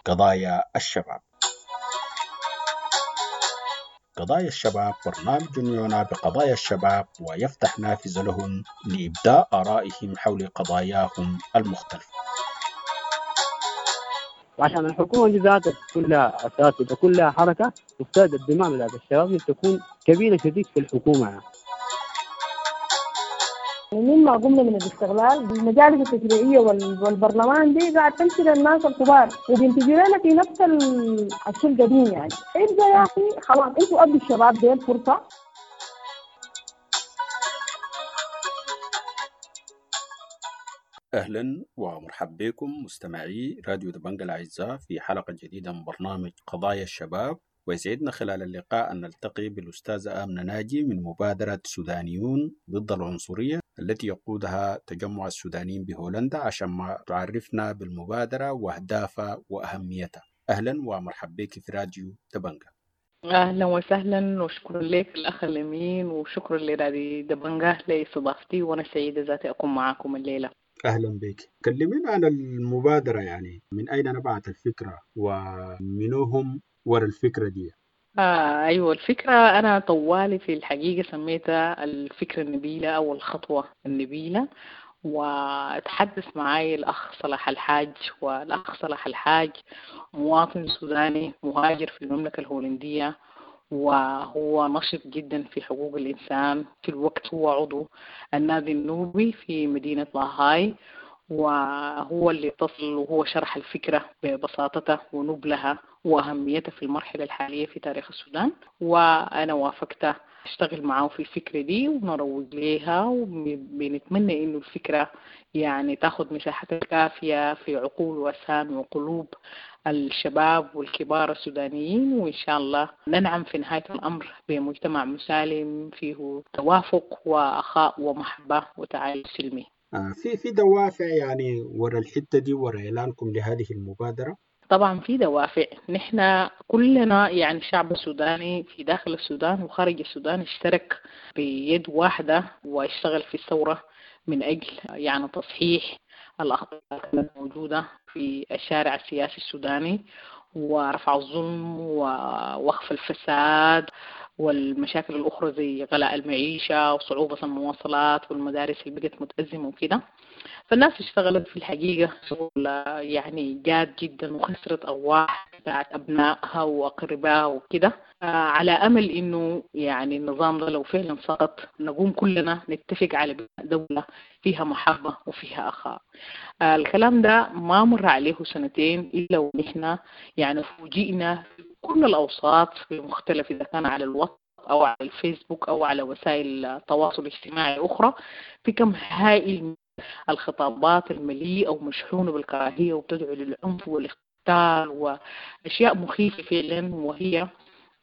قضايا الشباب. قضايا الشباب برنامج يعنى بقضايا الشباب ويفتح نافذة لهم لإبداء آرائهم حول قضاياهم المختلفة. وعشان الحكومة دي ذاتها كلها أساس وكلها حركة، مفترض الدماء بتاعت الشباب تكون كبيرة شديد في الحكومة يعني. مما قمنا من الاستغلال المجالس التشريعية والبرلمان دي قاعد تمشي للناس الكبار وبينتجوا لنا في نفس الشيء القديم يعني. ابدا يا اخي خلاص انتوا ادوا الشباب ديل فرصة. اهلا ومرحبا بكم مستمعي راديو دبنجة الاعزاء في حلقة جديدة من برنامج قضايا الشباب، ويسعدنا خلال اللقاء أن نلتقي بالأستاذة آمنة ناجي من مبادرة سودانيون ضد العنصرية التي يقودها تجمع السودانيين بهولندا، عشان ما تعرفنا بالمبادرة وأهدافها وأهميتها. أهلا ومرحبا بك في راديو دبنجة. أهلا وسهلا، وشكرا لك الأخ الأمين، وشكرا لراديو دبنجة لاستضافتي، وأنا سعيدة ذاتي أكون معاكم الليلة. أهلا بك. كلمينا عن المبادرة، يعني من أين نبعت الفكرة ومنهم ورا الفكرة دي؟ أيوة، الفكرة أنا طوالي في الحقيقة سميتها الفكرة النبيلة أو الخطوة النبيلة، وتحدث معي الأخ صلاح الحاج، والأخ صلاح الحاج مواطن سوداني مهاجر في المملكة الهولندية، وهو نشط جدا في حقوق الإنسان. في الوقت هو عضو النادي النوبي في مدينة لاهاي، وهو اللي اتصل وهو شرح الفكرة ببساطتها ونبلها وأهميتها في المرحلة الحالية في تاريخ السودان، وأنا وافقت أشتغل معه في الفكرة دي ونروج لها، وبنتمنى إنه الفكرة يعني تاخد مساحتها الكافية في عقول وأسهام وقلوب الشباب والكبار السودانيين، وإن شاء الله ننعم في نهاية الأمر بمجتمع مسالم فيه توافق وأخاء ومحبة وتعايش سلمي. في دوافع يعني ورا الحتة دي، ورا إعلانكم لهذه المبادرة؟ طبعا في دوافع. نحن كلنا يعني الشعب السوداني في داخل السودان وخارج السودان اشترك بيد واحدة واشتغل في الثورة من أجل يعني تصحيح الأخطاء الموجودة في الشارع السياسي السوداني ورفع الظلم ووقف الفساد والمشاكل الأخرى زي غلاء المعيشة وصعوبة المواصلات والمدارس اللي بقت متأزمة وكده. فالناس اشتغلت في الحقيقة شغل يعني جاد جدا، وخسرت أرواح بتاعت أبنائها وأقربائها وكده، على أمل إنه يعني النظام ده لو فعلا سقط نقوم كلنا نتفق على دولة فيها محبة وفيها أخاء. الكلام ده ما مر عليه سنتين إلا ونحن يعني فوجئنا في كل الأوساط في مختلف، إذا كان على الواتس أو على الفيسبوك أو على وسائل التواصل الاجتماعي أخرى، في كم هائل من الخطابات المليئة ومشحونة بالكراهية وبتدعو للعنف والاقتتال وأشياء مخيفة فعلا، وهي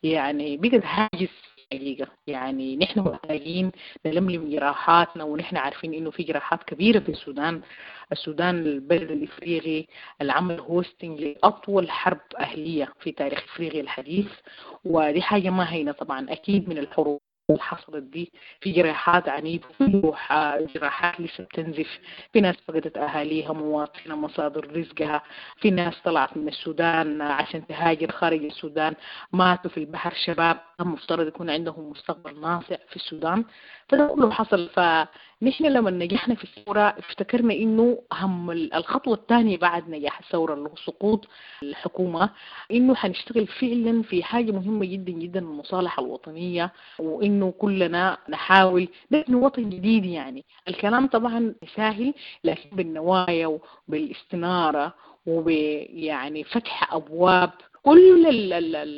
يعني بقت هاجس حقيقة. يعني نحن محتاجين نلملم جراحاتنا، ونحن عارفين إنه في جراحات كبيرة في السودان. السودان البلد الإفريقي اللي عمل هوستنج لأطول حرب أهلية في تاريخ إفريقيا الحديث، ودي حاجة ما هينة طبعا. أكيد من الحروب اللي حصلت دي في جراحات عنيفة، في جراحات لسه بتنزف، في ناس فقدت أهاليها، مواطنة، مصادر رزقها، في ناس طلعت من السودان عشان تهاجر خارج السودان، ماتوا في البحر شباب المفترض يكون عندهم مستقبل ناصع في السودان. فده كله حصل. فنحن لما نجحنا في الثورة افتكرنا إنه هم الخطوة الثانية بعد نجاح الثورة اللي هو سقوط الحكومة، إنه حنشتغل فعلا في حاجة مهمة جدا جدا، المصالحة الوطنية، وإنه كلنا نحاول نبني وطن جديد. يعني الكلام طبعا سهل، لكن بالنوايا وبالاستنارة وبيعني فتح أبواب كل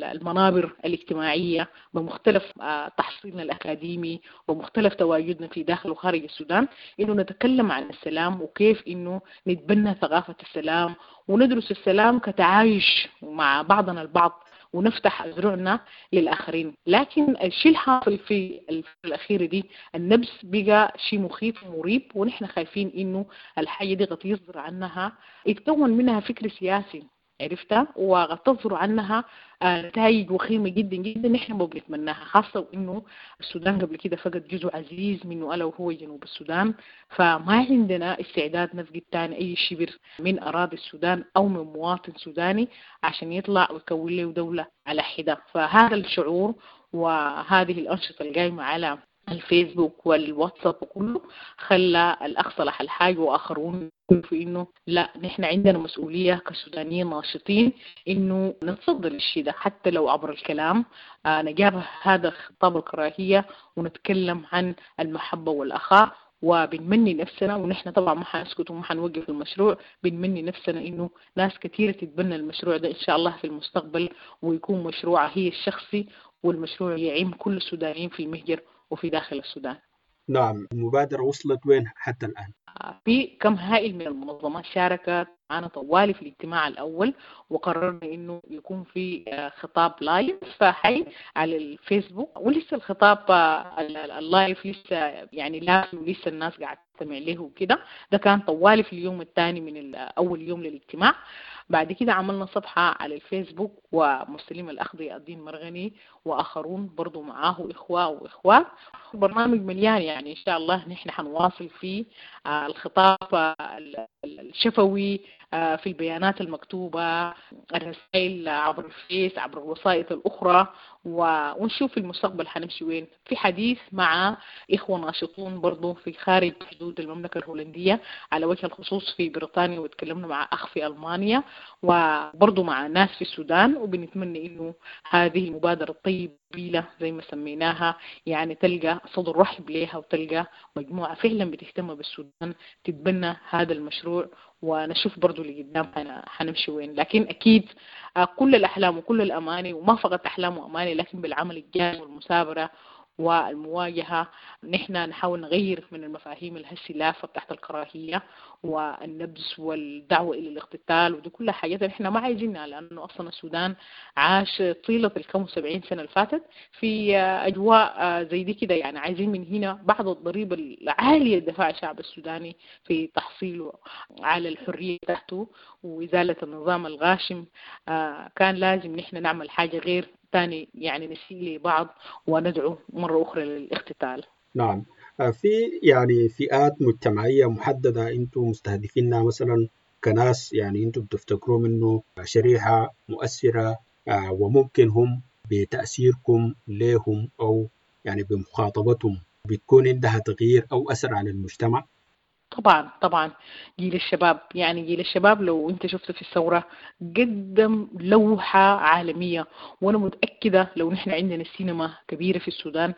المنابر الاجتماعية بمختلف تحصيلنا الأكاديمي ومختلف تواجدنا في داخل وخارج السودان، إنه نتكلم عن السلام وكيف إنه نتبنى ثقافة السلام وندرس السلام كتعايش مع بعضنا البعض ونفتح أذرعنا للآخرين. لكن الشيء الحاصل في الفترة الأخيرة دي النبس بقى شيء مخيف ومريب، ونحن خايفين إنه الحاجة دي قد يصدر عنها يتكون منها فكر سياسي. عرفتها؟ وقد تصدر عنها نتائج وخيمة جدا جدا نحن ما بنتمناها، خاصة وإنه السودان قبل كده فقد جزء عزيز منه ألا وهو جنوب السودان. فما عندنا استعداد نفقد تاني أي شبر من أراضي السودان أو من مواطن سوداني عشان يطلع ويكون له دولة على حدة. فهذا الشعور وهذه الأنشطة القايمة على الفيسبوك والواتساب وكله خلى الأخ صلاح الحاج وآخرون في إنه لا، نحن عندنا مسؤولية كسودانيين ناشطين إنه نتصدر للشيء ده حتى لو عبر الكلام، نجابه هذا خطاب الكراهية ونتكلم عن المحبة والأخاء. وبنمني نفسنا، ونحن طبعا ما حنسكت وما حنوقف المشروع، بنمني نفسنا إنه ناس كثيرة تتبنى المشروع ده إن شاء الله في المستقبل، ويكون مشروعها هي الشخصي، والمشروع يعم كل السودانيين في المهجر وفي داخل السودان. نعم، المبادرة وصلت وين حتى الآن؟ في كم هائل من المنظمات شاركت معنا طوالي في الاجتماع الأول، وقررنا إنه يكون في خطاب live حي على الفيسبوك، ولسه الخطاب ال live لسه يعني لا، ولسه الناس قاعدة تستمع له وكده. ده كان طوالي في اليوم الثاني من أول يوم للاجتماع. بعد كده عملنا صفحة على الفيسبوك، ومسلم الأخ ضياء الدين مرغني وآخرون برضو معاه إخوة وإخوات. البرنامج مليان، يعني إن شاء الله نحن حنواصل في الخطاب الشفوي، في البيانات المكتوبة، الرسائل عبر الفيس، عبر الوسائط الأخرى، ونشوف في المستقبل حنمشي وين. في حديث مع إخوة ناشطون برضو في خارج حدود المملكة الهولندية، على وجه الخصوص في بريطانيا، وتكلمنا مع أخ في ألمانيا، وبرضو مع ناس في السودان. وبنتمنى إنه هذه المبادرة الطيبة زي ما سميناها يعني تلقى صدر رحب ليها، وتلقى مجموعة فعلا بتهتم بالسودان تتبنى هذا المشروع، ونشوف برضو اللي قدام حنمشي وين. لكن أكيد كل الأحلام وكل الأماني، وما فقط أحلام وأماني، لكن بالعمل الجاد والمثابرة والمواجهة نحن نحاول نغير من المفاهيم الهسلافة بتاعت الكراهية والنبذ والدعوة إلى الاقتتال، ودي كلها حاجات نحن ما عايزينها، لأنه أصلا السودان عاش طيلة الكم 70 سنة اللي فاتت في أجواء زي دي كده. يعني عايزين من هنا بعض الضريبة العالية دفع الشعب السوداني في تحصيله على الحرية تحته وإزالة النظام الغاشم. كان لازم نحن نعمل حاجة غير تاني، يعني نسيء لبعض وندعو مرة أخرى للاقتتال. نعم، في يعني فئات مجتمعية محددة أنتم مستهدفينها مثلا كناس، يعني أنتم بتفتكروا منه شريحة مؤثرة وممكن هم بتأثيركم لهم أو يعني بمخاطبتهم بتكون عندها تغيير أو أثر على المجتمع؟ طبعا طبعا جيل الشباب، يعني جيل الشباب لو انت شفت في الثورة قدم لوحة عالمية، وانا متأكدة لو نحن عندنا سينما كبيرة في السودان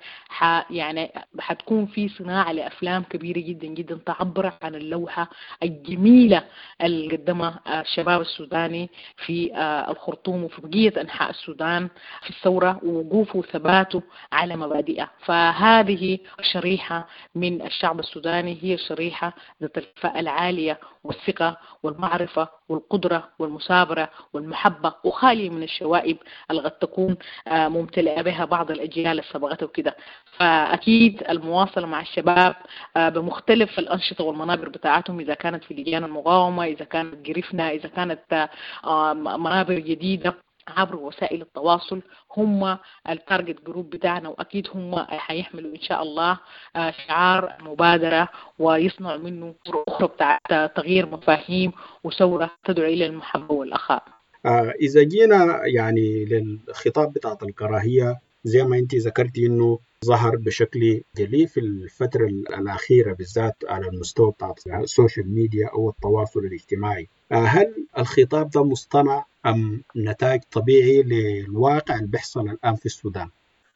يعني حتكون في صناعة لأفلام كبيرة جدا جدا تعبر عن اللوحة الجميلة اللي قدمها الشباب السوداني في الخرطوم وفي بقية أنحاء السودان في الثورة، ووقوفه وثباته على مبادئه. فهذه شريحة من الشعب السوداني هي شريحة ذات الكفاءة العالية والثقة والمعرفة والقدرة والمثابرة والمحبة، وخالية من الشوائب اللي قد تكون ممتلئة بها بعض الأجيال اللي سبقتها وكده. فأكيد المواصلة مع الشباب بمختلف الأنشطة والمنابر بتاعتهم، إذا كانت في لجان المقاومة، إذا كانت قرفنا، إذا كانت منابر جديدة عبر وسائل التواصل، هم ال target group بتاعنا، واكيد هم حيحملوا ان شاء الله شعار المبادره ويصنعوا منه اخرى بتاعت تغيير مفاهيم وثوره تدعو الى المحبه والاخاء. اذا جينا يعني للخطاب بتاعت الكراهيه، زي ما انت ذكرتي انه ظهر بشكل جلي في الفترة الأخيرة بالذات على المستوى بتاع ال social media أو التواصل الاجتماعي، هل الخطاب ده مصطنع أم نتاج طبيعي للواقع اللي بيحصل الآن في السودان؟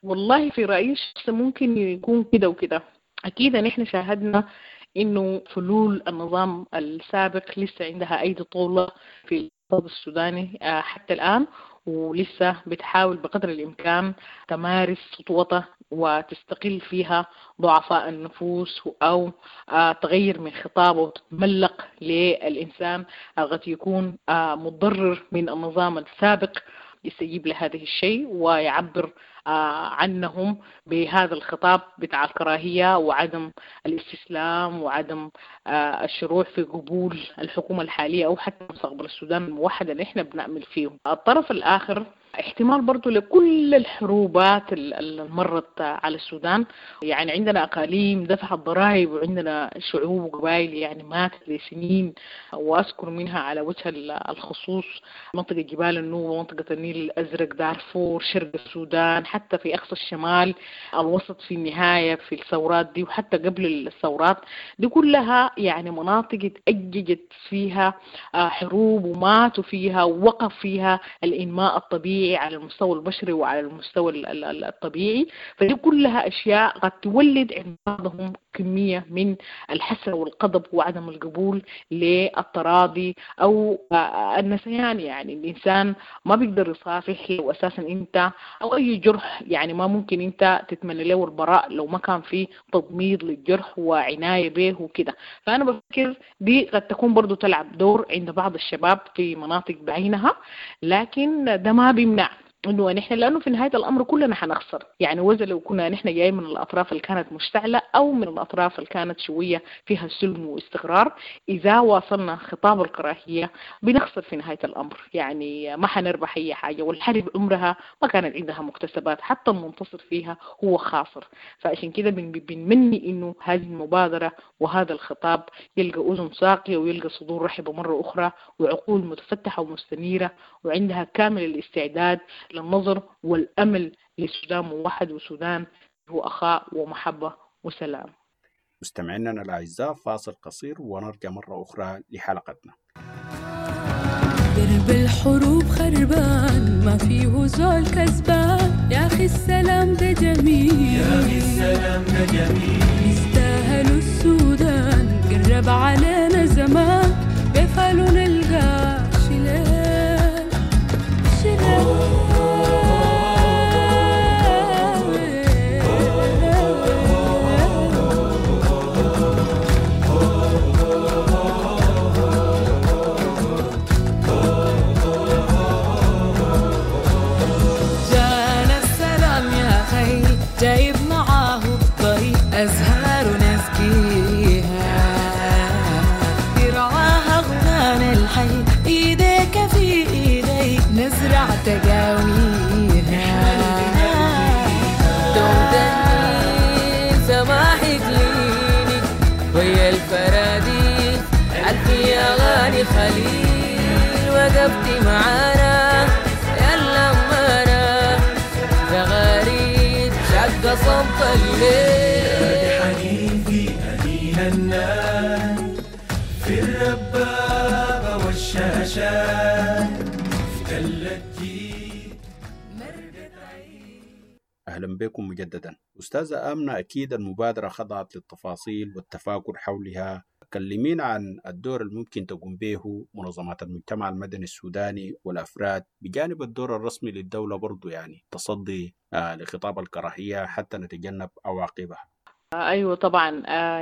والله في رأيي الشخصي ممكن يكون كده وكده. أكيد نحن شاهدنا إنه فلول النظام السابق لسه عندها أيدي طولة في الاقتصاد السوداني حتى الآن، ولسه بتحاول بقدر الإمكان تمارس سطوتها وتستقل فيها ضعفاء النفوس، أو تغير من خطابه وتتملق للإنسان قد يكون متضرر من النظام السابق. يستجيب لهذا الشيء ويعبر عنهم بهذا الخطاب بتاع الكراهية وعدم الاستسلام وعدم الشروع في قبول الحكومة الحالية أو حتى مستقبل السودان الموحد اللي احنا بنأمل فيه. الطرف الآخر احتمال برضو لكل الحروبات اللي مرت على السودان، يعني عندنا أقاليم دفعت ضرائب وعندنا شعوب وقبائل يعني ماتت لسنين، وأذكر منها على وجه الخصوص منطقة جبال النوبة، منطقة النيل الأزرق، دارفور، شرق السودان، حتى في أقصى الشمال، الوسط في النهاية في الثورات دي وحتى قبل الثورات دي كلها يعني مناطق اتأججت فيها حروب وماتوا فيها ووقف فيها الإنماء الطبيعي على المستوى البشري وعلى المستوى الطبيعي. فدي كلها أشياء قد تولد عند بعضهم كمية من الحسرة والغضب وعدم القبول للتراضي أو النسيان. يعني الإنسان ما بيقدر يصافح لو أساسا أنت أو أي جرح، يعني ما ممكن أنت تتمنى له البراء لو ما كان في تضميد للجرح وعناية به وكده. فأنا بفكر دي قد تكون برضو تلعب دور عند بعض الشباب في مناطق بعينها، لكن ده ما بيمنع انه نحن، لانه في نهاية الامر كلنا حنخسر. يعني وإذا لو كنا نحن جاي من الاطراف اللي كانت مشتعلة او من الاطراف اللي كانت شوية فيها سلم واستقرار، اذا واصلنا خطاب الكراهية بنخسر في نهاية الامر، يعني ما حنربح اي حاجة. والحرب عمرها ما كانت عندها مكتسبات، حتى المنتصر فيها هو خاسر. فعشان كده بنمني انه هذه المبادرة وهذا الخطاب يلقى اذن ساقيه ويلقى صدور رحبه مرة اخرى وعقول متفتحه ومستنيره وعندها كامل الاستعداد للنظر والأمل لسودان موحد وسودان هو أخاء ومحبة وسلام. مستمعينا الأعزاء، فاصل قصير ونرجع مرة أخرى لحلقتنا. درب الحروب خربان ما فيه زول كسبان، يا أخي السلام ده جميل، يا أخي السلام ده جميل، يستاهلوا السودان قرب علينا زمان، بفعلوا نلقى شلال شلال. جايب معاه الطريق أزهار نسقيها، يرعاها غنان الحي، إيديك في إيدي نزرع تقاويها، تمتني سماحك ليني ويا الفراديس ألفي أغاني خليل، وقفتي معانا يلا أمانا زغاريد شق صمت الليل. يا حنين في أنين الناي في الربابة والشاشات في تل الجيل. أهلا بكم مجددا. أستاذة آمنة، أكيد المبادرة خضعت للتفاصيل والتفاكر حولها. كلمينا عن الدور الممكن تقوم به منظمات المجتمع المدني السوداني والأفراد بجانب الدور الرسمي للدولة برضو، يعني تصدي لخطاب الكراهية حتى نتجنب عواقبها. أيوة طبعا،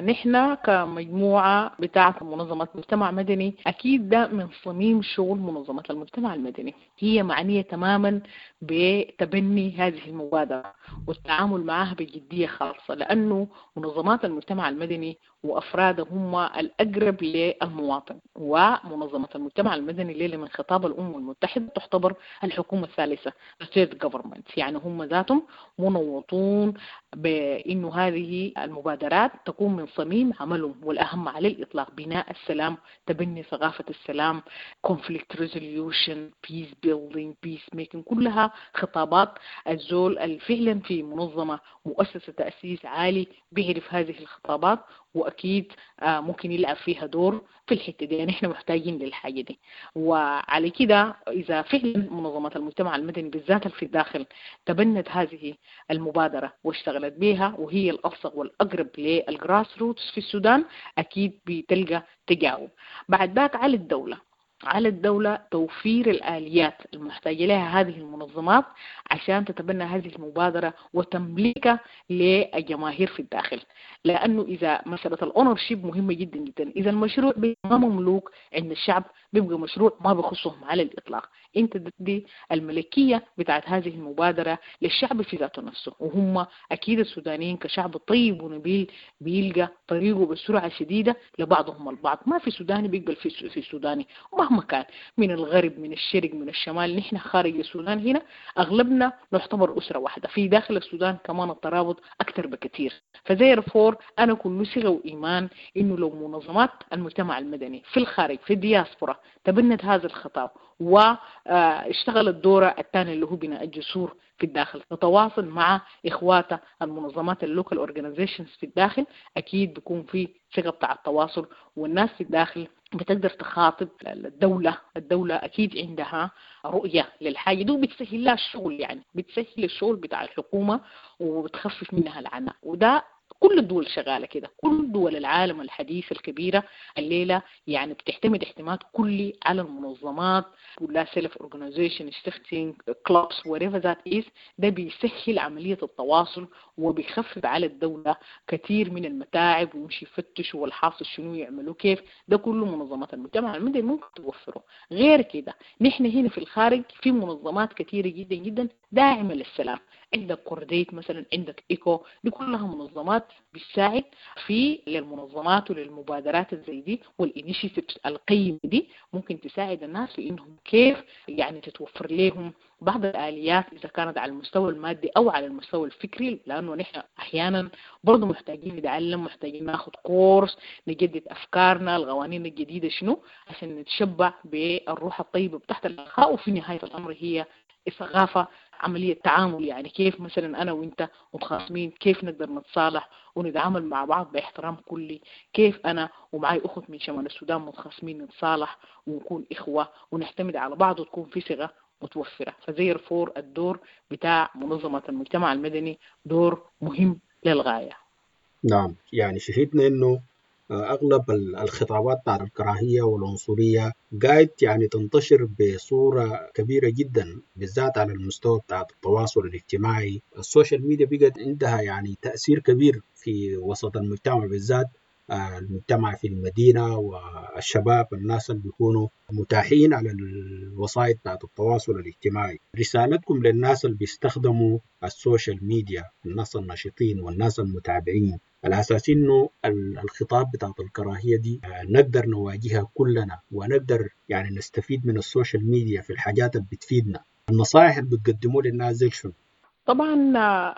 نحن كمجموعة بتاعة منظمة مجتمع مدني أكيد ده من صميم شغل منظمة المجتمع المدني، هي معنية تماما بتبني هذه المبادرة والتعامل معها بجدية خاصة، لأنه منظمات المجتمع المدني وأفراده هم الأقرب للمواطن، ومنظمة المجتمع المدني الليلة من خطاب الأمم المتحدة تعتبر الحكومة الثالثة the third government، يعني هم ذاتهم منوطون بأنه هذه المبادرات تكون من صميم عملهم، والأهم على الإطلاق بناء السلام، تبني ثقافة السلام، conflict resolution، peace building، peace making، كلها خطابات الزول الفعلا في منظمة مؤسسة تأسيس عالي بيعرف هذه الخطابات، وأكيد ممكن يلعب فيها دور في الحتة دي. يعني إحنا محتاجين للحاجة دي. وعلى كده إذا فعلا منظمات المجتمع المدني بالذات في الداخل تبنت هذه المبادرة واشتغلت بها، وهي الألصق والأقرب لل grassroots في السودان، أكيد بتلقى تجاوب. بعد ذاك على الدولة، على الدولة توفير الآليات المحتاجة لها هذه المنظمات عشان تتبنى هذه المبادرة وتملكها للجماهير في الداخل. لأنه إذا مسألة ال ownership مهمة جدا جدا، إذا المشروع ما مملوك عند الشعب بيبقى مشروع ما بخصهم على الإطلاق. أنت تدي الملكية بتاعت هذه المبادرة للشعب في ذاته نفسه، وهم أكيد السودانيين كشعب طيب ونبيل بيلقى طريقه بسرعة شديدة لبعضهم البعض. ما في سوداني بيقبل في سوداني مهما كان، من الغرب من الشرق من الشمال. نحن خارج السودان هنا أغلبنا نعتبر أسرة واحدة، في داخل السودان كمان الترابط أكثر بكثير. ف therefore أنا كل ثقة وإيمان إنه لو منظمات المجتمع المدني في الخارج في الدياسبورا تبنت هذا الخطاب واشتغلت دورة الثاني اللي هو بناء الجسور في الداخل، تتواصل مع إخواتها المنظمات ال local organizations في الداخل، أكيد بيكون في ثقة بتاع التواصل، والناس في الداخل بتقدر تخاطب الدولة. الدولة أكيد عندها رؤية للحاجة دي وبتسهل لها الشغل، يعني بتسهل الشغل بتاع الحكومة وبتخفف منها العناء. وده كل الدول شغالة كده، كل دول العالم الحديث الكبيرة الليلة يعني بتعتمد اعتماد كلي على المنظمات، ولا self organization، stichting، clubs، whatever that is. ده بيسهل عملية التواصل وبيخفف على الدولة كثير من المتاعب، ويمشي يفتشوا والحاصل شنو يعملوا كيف. ده كله منظمات المجتمع المدني ممكن توفره. غير كده نحن هنا في الخارج في منظمات كثيرة جدا جدا داعمة للسلام، عندك Cordaid مثلا، عندك إيكو، دي كلها منظمات بتساعد في للمنظمات وللمبادرات زي دي وال initiatives القيمة دي، ممكن تساعد الناس في انهم كيف يعني تتوفر لهم بعض الآليات إذا كانت على المستوى المادي أو على المستوى الفكري، لأنه نحن أحيانا برضو محتاجين نتعلم، محتاجين ناخد كورس، نجدد أفكارنا، القوانين الجديدة شنو، عشان نتشبع بالروح الطيبة بتاعت الأخاء. وفي نهاية الأمر هي الثقافة، عملية تعامل، يعني كيف مثلا أنا وإنت متخاصمين كيف نقدر نتصالح ونتعامل مع بعض باحترام كلي، كيف أنا ومعي أخت من شمال السودان متخاصمين نتصالح ونكون إخوة ونعتمد على بعض وتكون في ثقة متوفرة. ف therefore الدور بتاع منظمة المجتمع المدني دور مهم للغاية. نعم، يعني شهدنا إنه أغلب الخطابات بتاعت الكراهية والعنصرية قاعد يعني تنتشر بصورة كبيرة جدا، بالذات على المستوى بتاع التواصل الاجتماعي. ال social media بقت عندها يعني تأثير كبير في وسط المجتمع، بالذات المجتمع في المدينة والشباب، الناس اللي بيكونوا متاحين على الوسائل بتاعت التواصل الاجتماعي. رسالتكم للناس اللي بيستخدموا ال social media، الناس النشيطين والناس المتابعين، على أساس إنه الخطاب بتاعت الكراهية دي نقدر نواجهها كلنا، ونقدر يعني نستفيد من ال social media في الحاجات اللي بتفيدنا. النصائح اللي بتقدموها للناس زي شنو؟ طبعا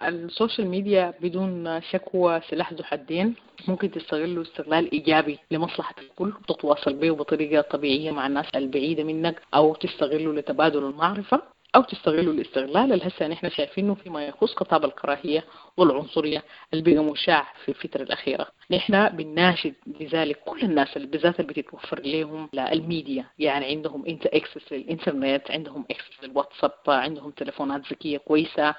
ال social media بدون شك سلاح ذو حدين، ممكن تستغله استغلال إيجابي لمصلحة الكل، تتواصل به بطريقة طبيعية مع الناس البعيدة منك، أو تستغله لتبادل المعرفة، أو تستغله الاستغلال اللي هسه نحن شايفينه فيما يخص خطاب الكراهية والعنصرية اللي بقى مشاع في الفترة الأخيرة. نحن بنناشد لذلك كل الناس اللي بالذات اللي بتتوفر لهم الميديا، يعني عندهم انت access للإنترنت، عندهم access للواتساب، عندهم تليفونات ذكية كويسة،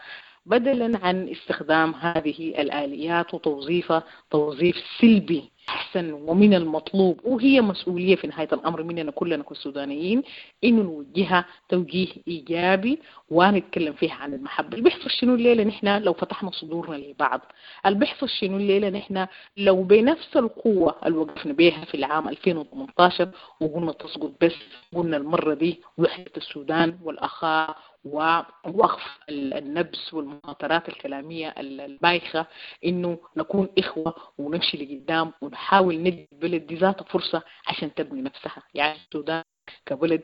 بدلا عن استخدام هذه الآليات وتوظيفها توظيف سلبي أحسن ومن المطلوب، وهي مسؤولية في نهاية الأمر مننا كلنا كسودانيين إنه نوجهها توجيه إيجابي ونتكلم فيها عن المحبة. اللي بيحصل شنو الليلة نحن لو فتحنا صدورنا لبعض، اللي بيحصل شنو الليلة نحن لو بنفس القوة اللي وقفنا بيها في العام 2018 وقلنا تسقط بس، قلنا المرة دي وحدة السودان والأخاء ووقف النبس والمهاترات الكلامية البايخة، إنه نكون إخوة ونمشي لقدام ونحاول ندي البلد دي ذاتها فرصة عشان تبني نفسها. يعني السودان كبلد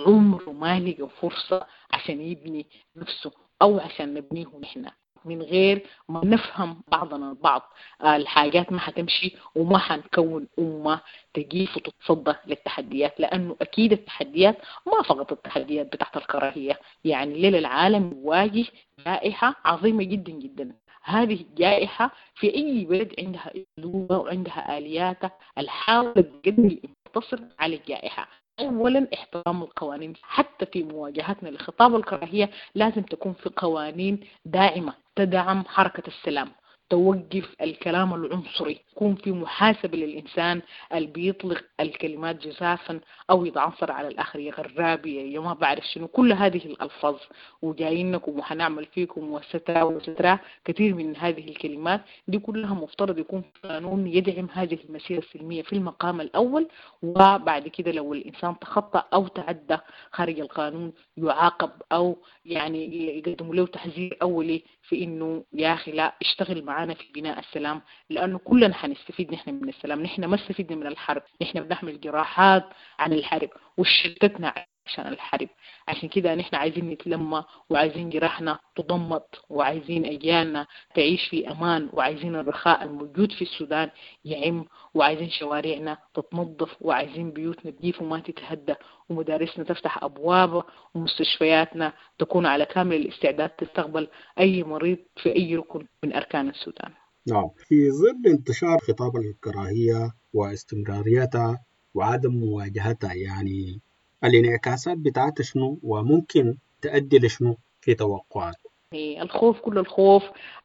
عمره ما لقى فرصة عشان يبني نفسه أو عشان نبنيه نحن، من غير ما نفهم بعضنا البعض الحاجات ما حتمشي، وما حنكون أمة تجيف وتتصدى للتحديات، لأنه أكيد التحديات ما فقط التحديات بتاعت الكراهية. يعني ليلة العالم يواجه جائحة عظيمة جدا جدا، هذه الجائحة في أي بلد عندها أسلوبها وعندها آلياتها الحاولة تقدم تصل على الجائحة. أولا احترام القوانين، حتى في مواجهتنا لخطاب الكراهية لازم تكون في قوانين داعمة تدعم حركة السلام، توقف الكلام العنصري، يكون في محاسبة للإنسان اللي بيطلق الكلمات جزافا أو يتعنصر على الآخر، يا غرابي يا ما بعرف شنو، كل هذه الألفاظ وجايينكم وحنعمل فيكم وسترا وسترا، كثير من هذه الكلمات دي كلها مفترض يكون قانون يدعم هذه المسيرة السلمية في المقام الأول، وبعد كده لو الإنسان تخطأ أو تعدى خارج القانون يعاقب أو يعني يقدموا له تحذير أولي في إنه يا أخي لا اشتغل معانا في بناء السلام، لأنه كلنا حنستفيد نحن من السلام. نحن ما استفدنا من الحرب، نحن بنحمل جراحات عن الحرب وشتتنا عشان الحرب، عشان كده نحن عايزين نتلمى وعايزين جراحنا تضمط وعايزين أجيالنا تعيش في أمان وعايزين الرخاء الموجود في السودان يعم وعايزين شوارعنا تتنظف وعايزين بيوتنا تجيف وما تتهدى ومدارسنا تفتح أبوابها ومستشفياتنا تكون على كامل الاستعداد تستقبل أي مريض في أي ركن من أركان السودان. نعم، في ظل انتشار خطاب الكراهية واستمراريتها وعدم مواجهتها، يعني الانعكاسات بتاعتها شنو وممكن تؤدي لشنو في توقعات؟ الخوف، كل الخوف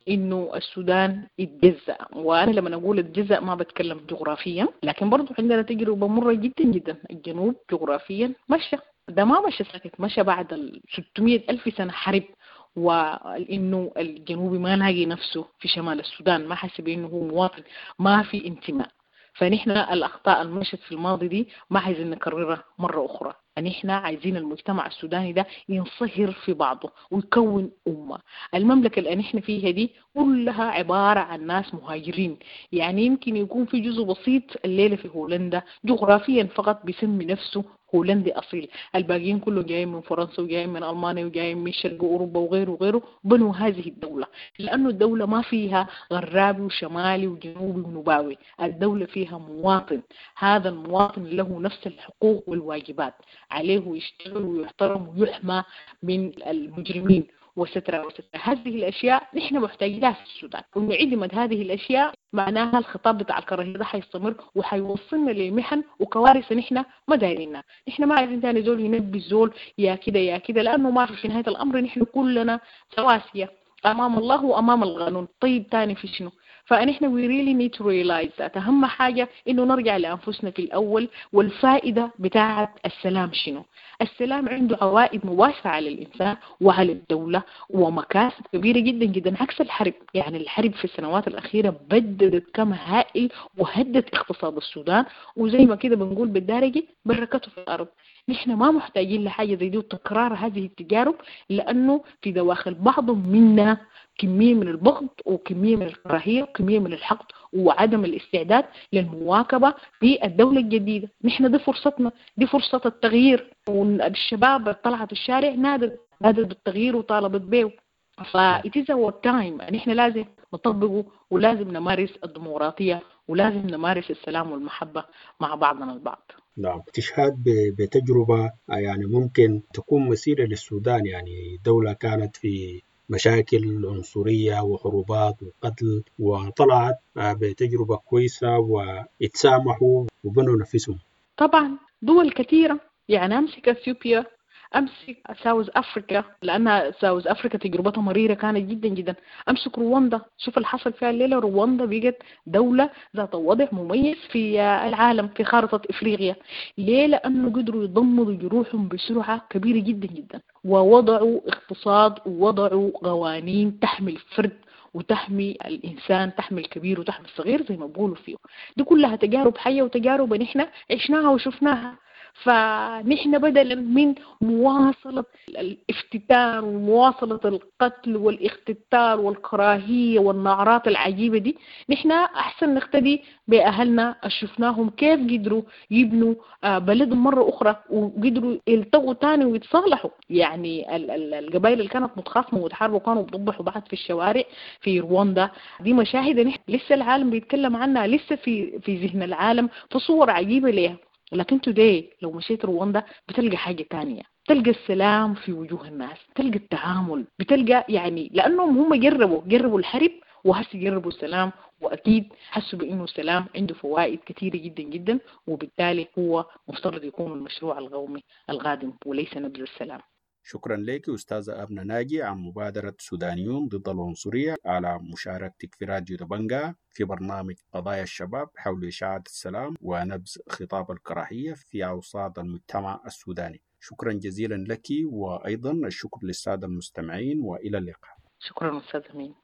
انه السودان يتجزأ، وانا لما اقول اتجزأ ما بتكلم جغرافيا، لكن برضو عندنا تجربة مرة جدا جدا. الجنوب جغرافيا مشى، ده ما مشى ساكت، مشى بعد 600 ألف سنة حرب، وانه الجنوبي ما لاقي نفسه في شمال السودان، ما حس بانه هو مواطن، ما في انتماء. فنحن الأخطاء المشت في الماضي دي ما عايزين نكررها مرة أخرى. نحن عايزين المجتمع السوداني ده ينصهر في بعضه ويكون أمة. المملكة اللي نحن فيها دي كلها عبارة عن ناس مهاجرين، يعني يمكن يكون في جزء بسيط الليلة في هولندا جغرافيا فقط بيسمي نفسه هولندي أصيل، الباقيين كلهم جايين من فرنسا وجايين من ألمانيا وجايين من شرق أوروبا وغيره وغيره، بنوا هذه الدولة، لأنه الدولة ما فيها غرابي وشمالي وجنوبي ونوباوي، الدولة فيها مواطن، هذا المواطن له نفس الحقوق والواجبات، عليه يشتغل ويحترم ويحمى من المجرمين وسترة وسترة. هذه الأشياء نحن محتاجينها في السودان، وإنه عدمت هذه الأشياء معناها الخطاب بتاع الكراهية ده حيستمر وحيوصلنا لمحن وكوارث نحن ما دايرينها. نحن ما عايزين تاني زول ينبي زول يا كده يا كده، لأنه ما في نهاية الأمر نحن كلنا سواسية أمام الله وأمام القانون. طيب تاني في شنو؟ فنحن we really need to realize that. أهم حاجة إنه نرجع لأنفسنا في الأول، والفائدة بتاعة السلام شنو؟ السلام عنده عوائد مباشرة على الإنسان وعلى الدولة ومكاسب كبيرة جدا جدا، عكس الحرب. يعني الحرب في السنوات الأخيرة بددت كم هائل وهدت اقتصاد السودان، وزي ما كده بنقول بالدارجة بركته في الأرض. نحن ما محتاجين لحاجة زي دي وتكرار هذه التجارب، لأنه في دواخل بعض منا كمية من البغض وكمية من الكراهية وكمية من الحقد وعدم الاستعداد للمواكبة في الدولة الجديدة. نحن دي فرصتنا، دي فرصة التغيير، والشباب طلعت الشارع نادت بالتغيير وطالبت به. ف it is our time، نحن لازم نطبقه ولازم نمارس الديمقراطية ولازم نمارس السلام والمحبة مع بعضنا البعض. نعم، تشهد بتجربة يعني ممكن تكون مثيرة للسودان، يعني دولة كانت في مشاكل عنصرية وحروبات وقتل وطلعت بتجربة كويسة واتسامحوا وبنوا نفسهم. طبعا دول كثيرة، يعني أمسك أثيوبيا، أمسك South Africa، لأن South Africa تجربتها مريرة كانت جدا جدا. أمسك رواندا، شوف اللي حصل فيها الليلة، رواندا بقت دولة ذات وضع مميز في العالم في خارطة إفريقيا. ليه؟ لأنه قدروا يضمدوا جروحهم بسرعة كبيرة جدا جدا، ووضعوا اقتصاد ووضعوا قوانين تحمي الفرد وتحمي الإنسان، تحمي الكبير وتحمي الصغير زي ما بقولوا فيه. دي كلها تجارب حية وتجارب نحن عشناها وشفناها. فنحن بدلا من مواصلة الافتتان ومواصلة القتل والاختتال والكراهية والنعرات العجيبة دي، نحن أحسن نقتدي بأهلنا شفناهم كيف قدروا يبنوا بلدهم مرة أخرى وقدروا يلتقوا تاني ويتصالحوا. يعني القبائل اللي كانت متخاصمة وتحاربوا كانوا بيضبحوا بعض في الشوارع في رواندا، دي مشاهد نحن لسه العالم بيتكلم عنها، لسه في ذهن العالم في صور عجيبة ليها. لكن today لو مشيت رواندا بتلقى حاجة تانية، بتلقى السلام في وجوه الناس، بتلقى التعامل، بتلقى يعني لأنهم هم جربوا الحرب وهسه جربوا السلام، وأكيد حسوا بأنه السلام عنده فوائد كثيرة جدا جدا، وبالتالي هو مفترض يكون المشروع القومي القادم وليس نبذ السلام. شكرا لك أستاذة أبنى ناجي عن مبادرة سودانيون ضد العنصرية على مشاركتك في راديو دبنجا في برنامج قضايا الشباب حول إشاعة السلام ونبذ خطاب الكراهية في أوساط المجتمع السوداني. شكرا جزيلا لك، وأيضا الشكر للسادة المستمعين، وإلى اللقاء. شكرا أستاذ أمين.